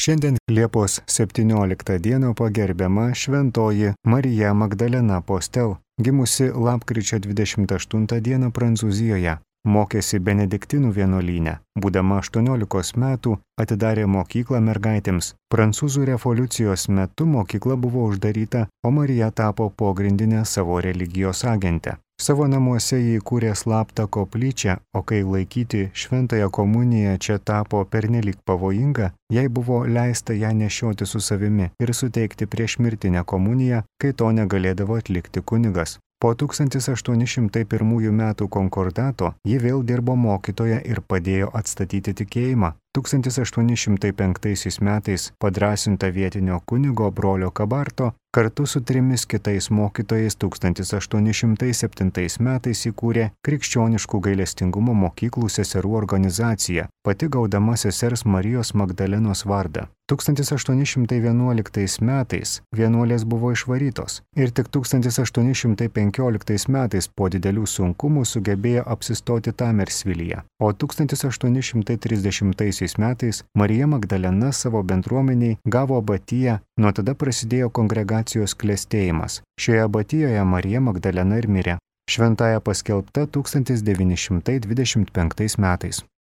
Šiandien Liepos 17 dieną pagerbiama šventoji Marija Magdalena Postel, gimusi lapkričio 28 dieną Prancūzijoje. Mokėsi Benediktinų vienuolyne. Būdama 18 metų atidarė mokyklą mergaitėms. Prancūzų revoliucijos metu mokykla buvo uždaryta, o Marija tapo pogrindinė savo religijos agente. Savo namuose jį įkūrė slaptą koplyčią, o kai laikyti šventąją komuniją čia tapo pernelyg pavojinga, jai buvo leista ją nešioti su savimi ir suteikti priešmirtinę komuniją, kai to negalėdavo atlikti kunigas. Po 1801 metų konkordato ji vėl dirbo mokytoja ir padėjo atstatyti tikėjimą. 1805 metais padrąsinta vietinio kunigo brolio Kabarto kartu su 3 kitais mokytojais 1807 metais įkūrė Krikščioniškų gailestingumo mokyklų seserų organizaciją, pati gaudama sesers Marijos Magdalenos vardą. 1811 metais vienuolės buvo išvarytos ir tik 1815 metais po didelių sunkumų sugebėjo apsistoti Tamersvilyje, o 1830 metais Marija Magdalena savo bendruomeniai gavo abatiją, nuo tada prasidėjo kongregacijos klestėjimas. Šioje abatijoje Marija Magdalena ir mirė. Šventąja paskelbta 1925 metais.